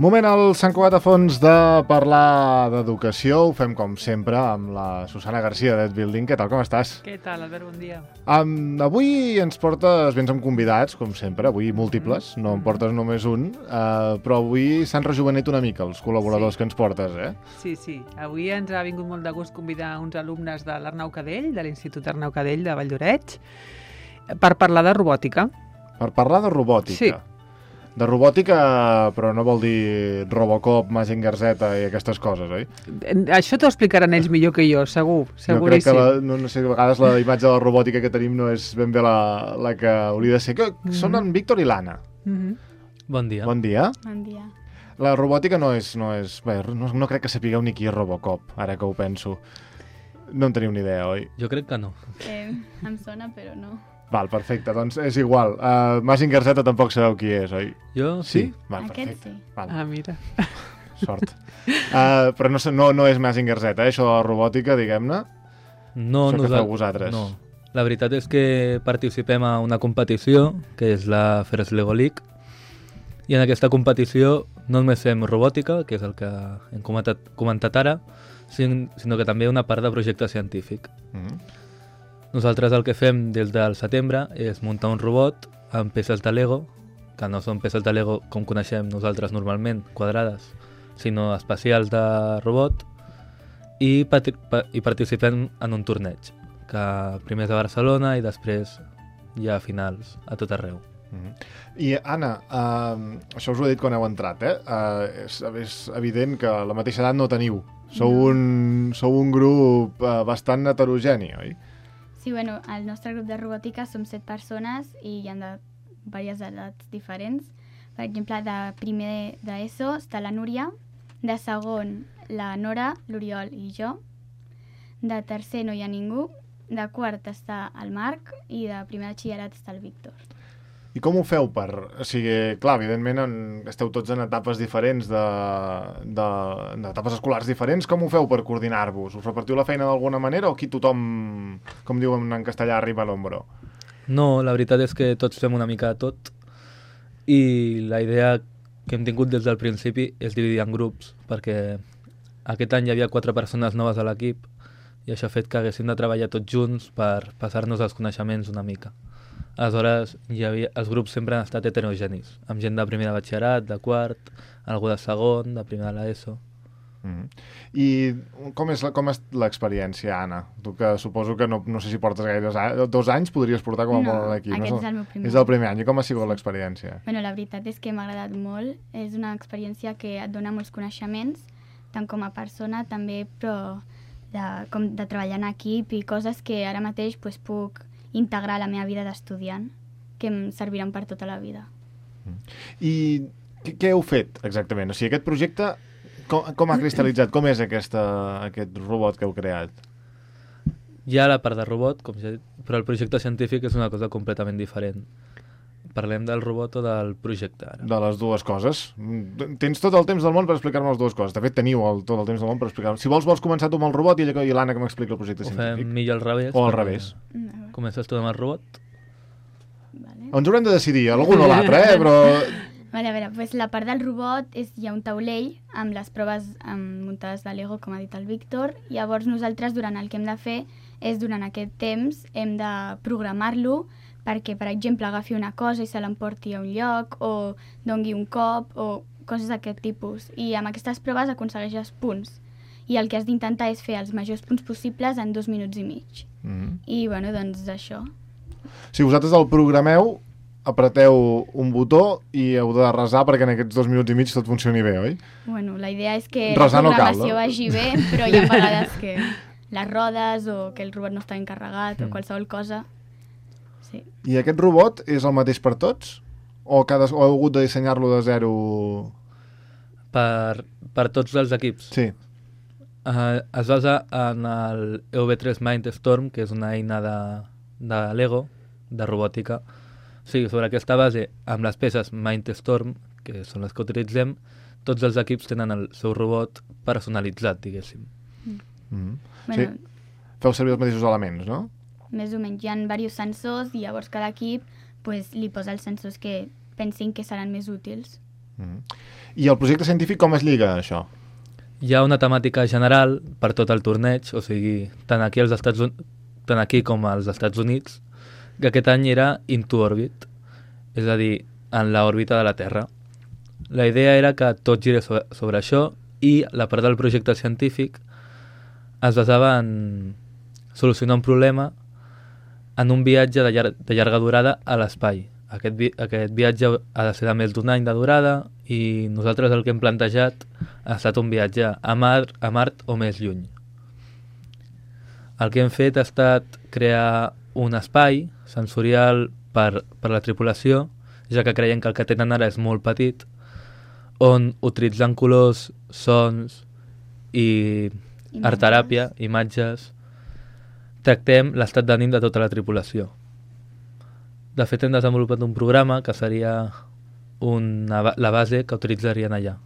Moment al Sant Cugat a Fons de parlar d'educació. Ho fem com sempre amb la Susana Garcia d'Ed Building. Què tal, com estàs? Què tal, Albert? Bon dia. Avui ens portes, vens amb convidats, com sempre, avui múltiples, no en portes només un, però avui s'han rejuvenit una mica els col·laboradors que ens portes, eh? Sí. Avui ens ha vingut molt de gust convidar uns alumnes de l'Arnau Cadell, de l'Institut Arnau Cadell de Valldoreix, per parlar de robòtica. Per parlar de robòtica. Sí. De robòtica, però no vol dir Robocop, Mazinger Z i aquestes coses, oi? Això t'ho explicaran ells millor que jo, segur, No crec seguríssim. que, no sé, a vegades la imatge de la robòtica que tenim no és ben bé la que hauria de ser. Són en Víctor i l'Anna. Bon dia. Bon dia. Bon dia. La robòtica no és... Bé, no crec que sapigueu ni qui és Robocop, ara que ho penso. No en teniu ni idea, oi? Jo crec que no. Em sona, però no. Val, perfecte, doncs és igual. Mazinger Z tampoc sabeu qui és, oi? Jo sí. Val, Aquest perfecte. sí. Val, Ah, mira. sort. Però no és Mazinger Z, això de la robòtica, diguem-ne. No, Això que feu vosaltres. No. La veritat és que participem a una competició, que és la First Lego League, i en aquesta competició no només fem robòtica, que és el que hem comentat ara, sinó que també una part de projecte científic. Nosaltres el que fem des del setembre és muntar un robot amb peces de Lego, que no són peces de Lego com coneixem nosaltres normalment, quadrades, sinó especials de robot, i participem en un torneig, que primer és a Barcelona i després hi ha finals a tot arreu. I, Anna, això us ho he dit quan heu entrat, és evident que a la mateixa edat no teniu. Sou un grup bastant heterogeni, oi? Sí, bueno, al nostre grup de robòtica som 7 persones i hi ha de diverses edats diferents. Per exemple, de primer d'ESO està la Núria, de segon la Nora, l'Oriol i jo, de tercer no hi ha ningú, de quart està el Marc i de primer de batxillerat està el Víctor. I com ho feu per... O sigui, clar, evidentment esteu tots en etapes diferents, d'etapes escolars diferents. Com ho feu per coordinar-vos? Us repartiu la feina d'alguna manera o aquí tothom, com diuen en castellà, arriba a l'ombro? No, la veritat és que tots fem una mica de tot i la idea que hem tingut des del principi és dividir en grups, perquè aquest any hi havia 4 persones noves a l'equip i això ha fet que haguéssim de treballar tots junts per passar-nos els coneixements una mica. Aleshores, els grups sempre han estat heterogenis, amb gent de primer de batxillerat, de quart, algú de segon, de primer de l'ESO. I com és l'experiència, Anna? Tu que suposo que no sé si portes gaire 2 anys, podries portar com a molt a l'equip. Aquest és el meu primer. És el primer any. I com ha sigut l'experiència? Bueno, la veritat és que m'ha agradat molt. És una experiència que et dona molts coneixements, tant com a persona també, però com de treballar en equip i coses que ara mateix puc integrar la meva vida d'estudiant, que em serviran per tota la vida. I què heu fet exactament? O sigui, aquest projecte, com ha cristal·litzat? Com és aquest robot que heu creat? Hi ha la part de robot, com ja he dit, però el projecte científic és una cosa completament diferent. Parlem del robot o del projecte ara? De les dues coses. Tens tot el temps del món per explicar-me les dues coses. De fet, teniu tot el temps del món per explicar-me. Si vols començar tu amb el robot i l'Anna que m'explica el projecte científic. Ho fem millor al revés. O al revés. Comences tu amb el robot? Vale. Ens haurem de decidir, l'un o l'altre, però... Vale, a veure, la part del robot hi ha un taulell amb les proves muntades de Lego, com ha dit el Víctor. Llavors nosaltres durant el que hem de fer és durant aquest temps hem de programar-lo perquè, per exemple, agafi una cosa i se l'emporti a un lloc o dongui un cop o coses d'aquest tipus. I amb aquestes proves aconsegueixes punts. I el que has d'intentar és fer els majors punts possibles en 2 minuts i mig. I, bueno, doncs això. Si vosaltres el programeu, apreteu un botó i heu de resar perquè en aquests 2 minuts i mig tot funcioni bé, oi? Bueno, la idea és que Resar la no cal, programació no? vagi bé, però hi ha vegades que les rodes o que el robot no està encarregat o qualsevol cosa. Sí. I aquest robot és el mateix per tots? O heu hagut de dissenyar-lo de zero? Per tots els equips. Sí. Es basa en el EV3 Mindstorm, que és una eina de Lego, de robòtica. Sí, sobre aquesta base, amb les peces Mindstorm, que són les que utilitzem, tots els equips tenen el seu robot personalitzat, diguéssim. Sí. Feu servir els mateixos elements, no? Més o menys. Hi ha diversos sensors i llavors cada equip li posa els sensors que pensin que seran més útils. I el projecte científic com es lliga, això? Hi ha una temàtica general per tot el torneig, o sigui, tant aquí com als Estats Units, que aquest any era Into Orbit, és a dir, en l'òrbita de la Terra. La idea era que tot girés sobre això i la part del projecte científic es basava en solucionar un problema en un viatge de llarga durada a l'espai. Aquest viatge ha de ser de més d'un any de durada i nosaltres el que hem plantejat ha estat un viatge a Mart o més lluny. El que hem fet ha estat crear un espai sensorial per la tripulació, ja que creiem que el que tenen ara és molt petit, on utilitzant colors, sons i art-teràpia, imatges, tractem l'estat d'ànim de tota la tripulació. De fet, hem desenvolupat un programa que seria la base que utilitzarien allà.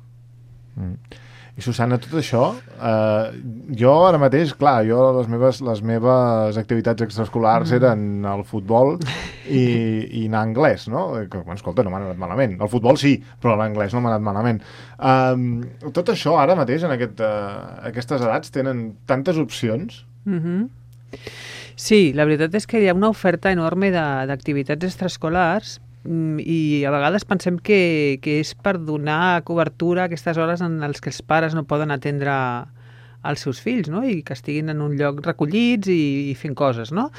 I Susana, tot això, jo ara mateix, clar, les meves activitats extraescolars eren el futbol i anar a anglès, no? Que, bueno, escolta, no m'ha anat malament. El futbol sí, però l'anglès no m'ha anat malament. Tot això ara mateix, en aquestes edats, tenen tantes opcions. Sí, la veritat és que hi ha una oferta enorme d'activitats extraescolars i a vegades pensem que és per donar cobertura a aquestes hores en les que els pares no poden atendre els seus fills, no? I que estiguin en un lloc recollits i fent coses, no?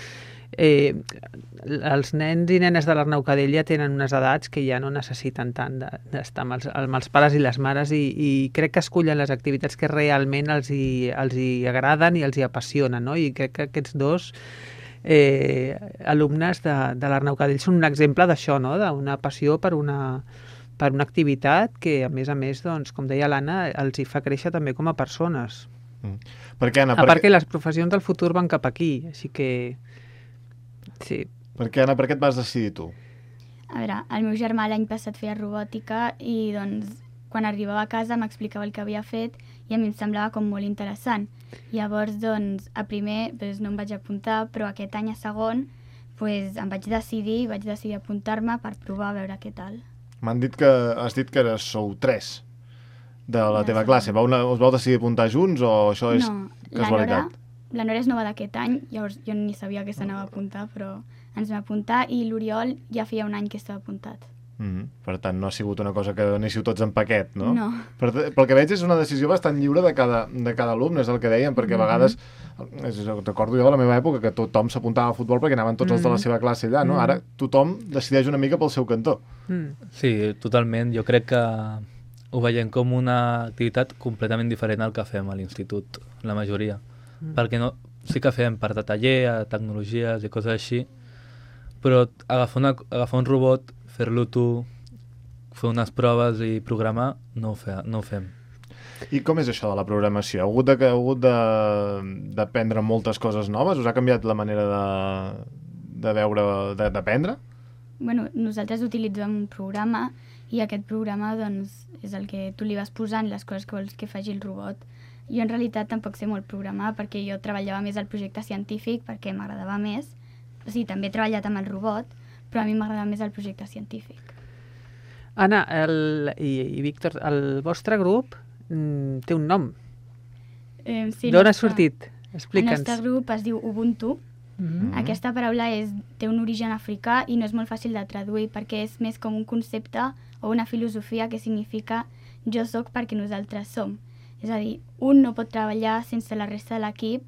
Els nens i nenes de l'Arnau Cadell ja tenen unes edats que ja no necessiten tant d'estar amb els pares i les mares i crec que escullen les activitats que realment els hi agraden i els hi apassionen, no? I crec que aquests dos alumnes de l'Arnau Cadell són un exemple d'això, no? D'una passió per una activitat que, a més, doncs, com deia l'Anna, els hi fa créixer també com a persones. Per què, Anna? A part que les professions del futur van cap aquí, així que... Sí. Per què, Anna, per què et vas decidir tu? A veure, el meu germà l'any passat feia robòtica i, doncs, quan arribava a casa m'explicava el que havia fet i a mi em semblava com molt interessant. Llavors, doncs, a primer no em vaig apuntar, però aquest any a segon em vaig decidir apuntar-me per provar a veure què tal. M'han dit que has dit que sou 3 de la teva classe. Us vau decidir apuntar junts o això és casualitat? No, la Nora és nova d'aquest any, llavors jo ni sabia que s'anava a apuntar, però ens vam apuntar i l'Oriol ja feia un any que estava apuntat. Per tant, no ha sigut una cosa que anéssiu tots en paquet, no? No. Pel que veig és una decisió bastant lliure de cada alumne, és el que dèiem, perquè a vegades, recordo jo de la meva època, que tothom s'apuntava a futbol perquè anaven tots els de la seva classe allà, no? Ara tothom decideix una mica pel seu cantó. Sí, totalment. Jo crec que ho veiem com una activitat completament diferent al que fem a l'institut, la majoria. Perquè sí que fem part de taller, tecnologies i coses així, però agafar un robot, fer-lo tu, fer unes proves i programar, no ho fem. I com és això de la programació? Ha hagut d'aprendre moltes coses noves? Us ha canviat la manera de veure, d'aprendre? Bueno, nosaltres utilitzem un programa i aquest programa doncs, és el que tu li vas posant les coses que vols que faci el robot. Jo en realitat tampoc sé molt programar perquè jo treballava més al projecte científic perquè m'agradava més. O sigui, també he treballat amb el robot, però a mi m'agradava més el projecte científic. Anna i Víctor, el vostre grup té un nom. Sí, d'on ha sortit? Explica'ns. El nostre grup es diu Ubuntu. Aquesta paraula té un origen africà i no és molt fàcil de traduir perquè és més com un concepte o una filosofia que significa jo sóc perquè nosaltres som. És a dir, un no pot treballar sense la resta de l'equip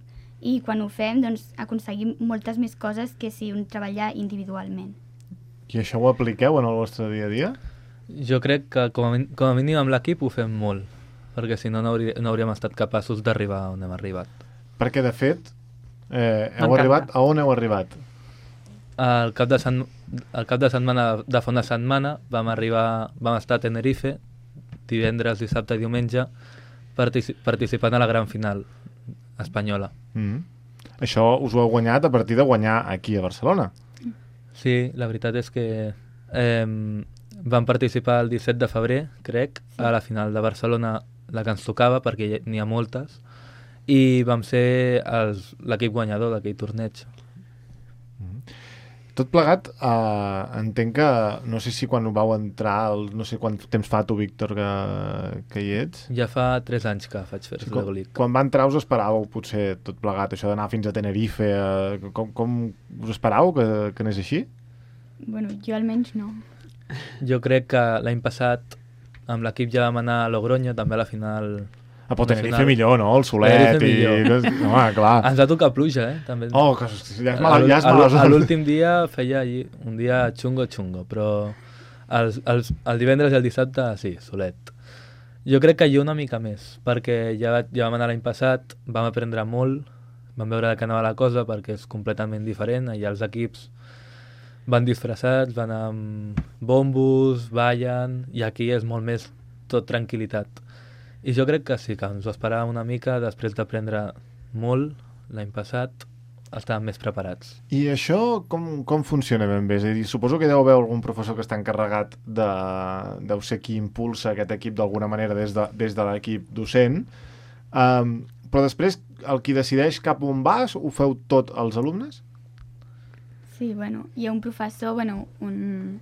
i quan ho fem doncs, aconseguim moltes més coses que si un treballar individualment. I això ho apliqueu en el vostre dia a dia? Jo crec que com a mínim amb l'equip ho fem molt, perquè si no hauríem estat capaços d'arribar on hem arribat. Perquè de fet, a on heu arribat? Al cap de setmana de fa una setmana vam estar a Tenerife, divendres, dissabte i diumenge, participant a la gran final espanyola. Això us ho heu guanyat a partir de guanyar aquí a Barcelona. Sí, la veritat és que vam participar el 17 de febrer, crec, a la final de Barcelona, la que ens tocava, perquè n'hi ha moltes, i vam ser l'equip guanyador d'aquell torneig. Tot plegat, entenc que, no sé si quan vau entrar, no sé quant temps fa tu, Víctor, que hi ets. Ja fa 3 anys que faig First Lego League. Quan va entrar us esperàveu potser tot plegat, això d'anar fins a Tenerife, com us esperàveu que anés així? Bueno, jo almenys no. Jo crec que l'any passat amb l'equip ja vam anar a Logroño, també a la final. Però Tenerife millor, no? El solet i... Home, clar. Ens va tocar pluja, també. Oh, que ja és mala zona. L'últim dia feia un dia xungo, però el divendres i el dissabte, sí, solet. Jo crec que jo una mica més, perquè ja vam anar l'any passat, vam aprendre molt, vam veure de què anava la cosa, perquè és completament diferent, allà els equips van disfressats, van amb bombos, ballen, i aquí és molt més tot tranquil·litat. I jo crec que sí, que ens ho esperàvem una mica, després d'aprendre molt l'any passat, estàvem més preparats. I això com funciona ben bé? És a dir, suposo que deu haver algun professor que està encarregat deu ser qui impulsa aquest equip d'alguna manera des de l'equip docent, però després el qui decideix cap on vas ho feu tot els alumnes? Sí, bueno, hi ha un professor, un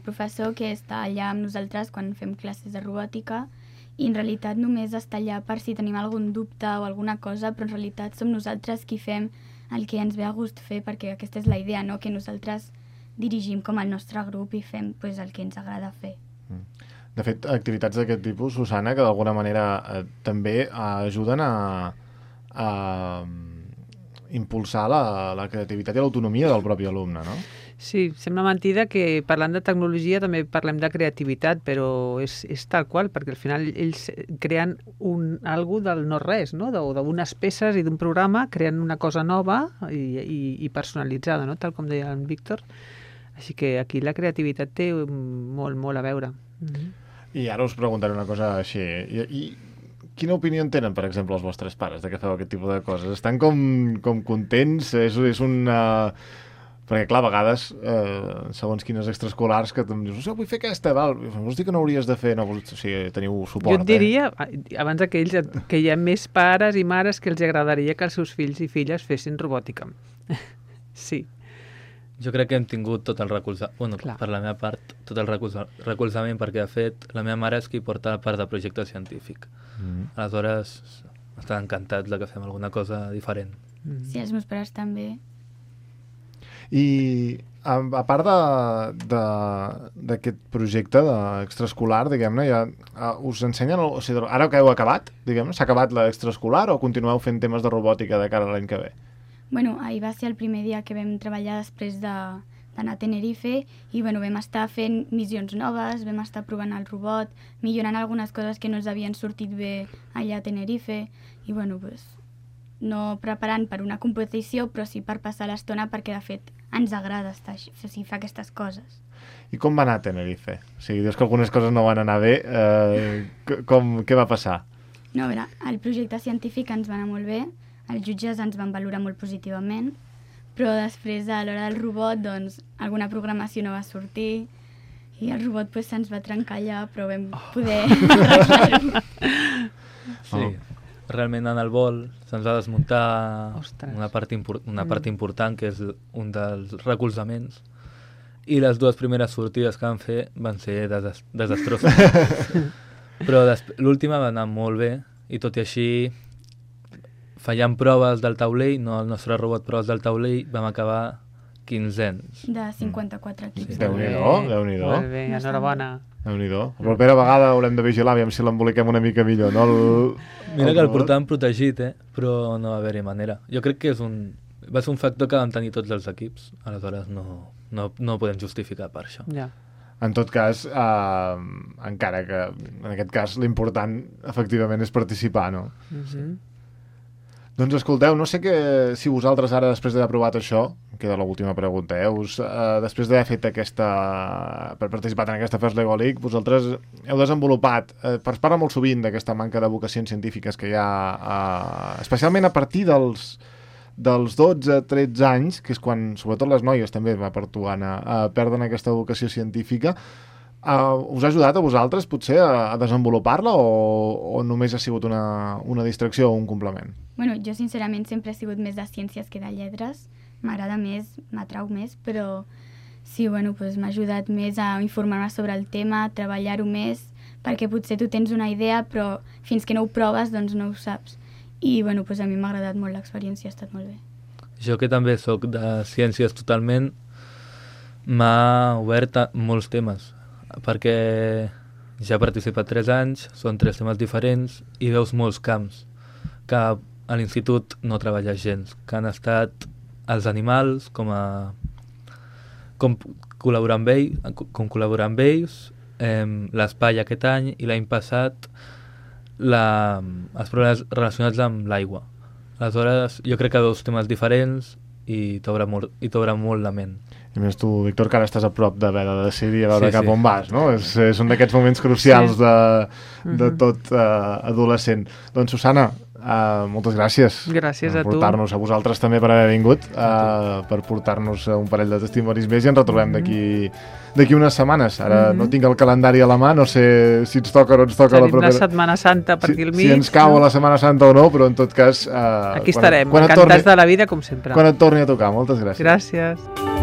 professor que està allà amb nosaltres quan fem classes de robòtica, i en realitat només està allà per si tenim algun dubte o alguna cosa, però en realitat som nosaltres qui fem el que ens ve a gust fer, perquè aquesta és la idea, no? Que nosaltres dirigim com el nostre grup i fem pues, el que ens agrada fer. De fet, activitats d'aquest tipus, Susana, que d'alguna manera també ajuden a impulsar la creativitat i l'autonomia del propi alumne, no? Sí, sembla mentida que parlant de tecnologia també parlem de creativitat, però és tal qual, perquè al final ells creen algo del no-res, no? D'unes peces i d'un programa, creen una cosa nova i personalitzada, no? Tal com deia en Víctor. Així que aquí la creativitat té molt, molt a veure. I ara us preguntaré una cosa així. I quina opinió en tenen, per exemple, els vostres pares de que feu aquest tipus de coses? Estan com contents? És una... Perquè, clar, a vegades, segons quines extraescolars, que em dius, vull fer aquesta, val, vols dir que no hauries de fer, no, o sigui, teniu suport, Jo et diria, abans que hi ha més pares i mares que els agradaria que els seus fills i filles fessin robòtica. Sí. Jo crec que hem tingut tot el recolzament, bueno, per la meva part, tot el recolzament, perquè, de fet, la meva mare és qui porta la part de projecte científic. Aleshores, estan encantats de que fem alguna cosa diferent. Sí, els meus pares també. I a part d'aquest projecte extraescolar, diguem-ne, us ensenyen, o sigui, ara que heu acabat, diguem-ne, s'ha acabat l'extraescolar o continueu fent temes de robòtica de cara a l'any que ve? Bueno, ahir va ser el primer dia que vam treballar després d'anar a Tenerife i bueno, vam estar fent missions noves, vam estar provant el robot, millorant algunes coses que no ens havien sortit bé allà a Tenerife i bueno, pues, no preparant per una competició, però sí per passar l'estona perquè, de fet, ens agrada estar així, o sigui, fer aquestes coses. I com va anar a Tenerife? O sigui, dius que algunes coses no van anar bé. Què va passar? No, a veure, el projecte científic ens va anar molt bé, els jutges ens van valorar molt positivament, però després, a l'hora del robot, doncs, alguna programació no va sortir i el robot pues, se'ns va trencar allà, però vam poder arreglar-ho. Sí. Realment en el vol se'ns va desmuntar una part important, que és un dels recolzaments, i les dues primeres sortides que vam fer van ser desastroses. Però l'última va anar molt bé, i tot i així, fallant proves del taulell, no el nostre robot, proves del taulell, vam acabar 15ens. De 54 equips. Sí. Déu-n'hi-do. Molt bé, enhorabona. Déu-n'hi-do. La propera vegada haurem de vigilar, aviam si l'emboliquem una mica millor, no? Mira que el portàvem protegit, però no va haver-hi manera. Jo crec que va ser un factor que vam tenir tots els equips, aleshores no podem justificar per això. Ja. En tot cas, encara que en aquest cas l'important efectivament és participar, no? Doncs escolteu, no sé si vosaltres ara, després d'haver aprovat això, queda l'última pregunta, després d'haver fet per participar en aquesta First Lego League, vosaltres heu desenvolupat, es parla molt sovint d'aquesta manca de vocacions científiques que hi ha, especialment a partir dels 12-13 anys, que és quan, sobretot les noies també, va per tu, Anna, perden aquesta vocació científica. Us ha ajudat a vosaltres, potser, a desenvolupar-la o només ha sigut una distracció o un complement? Bueno, jo sincerament sempre he sigut més de ciències que de lletres. m'agrada més, m'atrau més, però sí, bueno, doncs m'ha ajudat més a informar-me sobre el tema, a treballar-ho més, perquè potser tu tens una idea, però fins que no ho proves, doncs no ho saps. I bueno, doncs a mi m'ha agradat molt l'experiència, ha estat molt bé. Jo, que també sóc de ciències totalment, m'ha obert a molts temes, perquè ja he participat 3 anys, són 3 temes diferents i veus molts camps que a l'institut no treballes gens, que han estat els animals, com col·laborar amb ells, l'espai aquest any i l'any passat els problemes relacionats amb l'aigua. Aleshores, jo crec que veus temes diferents i t'obre molt la ment. I més tu, Víctor, que ara estàs a prop d'haver de decidir a veure Sí, cap sí. on vas, no? És un d'aquests moments crucials de tot adolescent. Doncs, Susana, moltes gràcies. Gràcies a tu. Per portar-nos, a vosaltres també per haver vingut, per portar-nos un parell de testimonis més i ens retrobem d'aquí unes setmanes. Ara no tinc el calendari a la mà, no sé si ens toca o no ens toca la Tenim propera... la Setmana Santa per aquí al mig. Si ens cau a la Setmana Santa o no, però en tot cas... Aquí estarem, encantats de la vida, com sempre. Quan et torni a tocar. Moltes gràcies. Gràcies.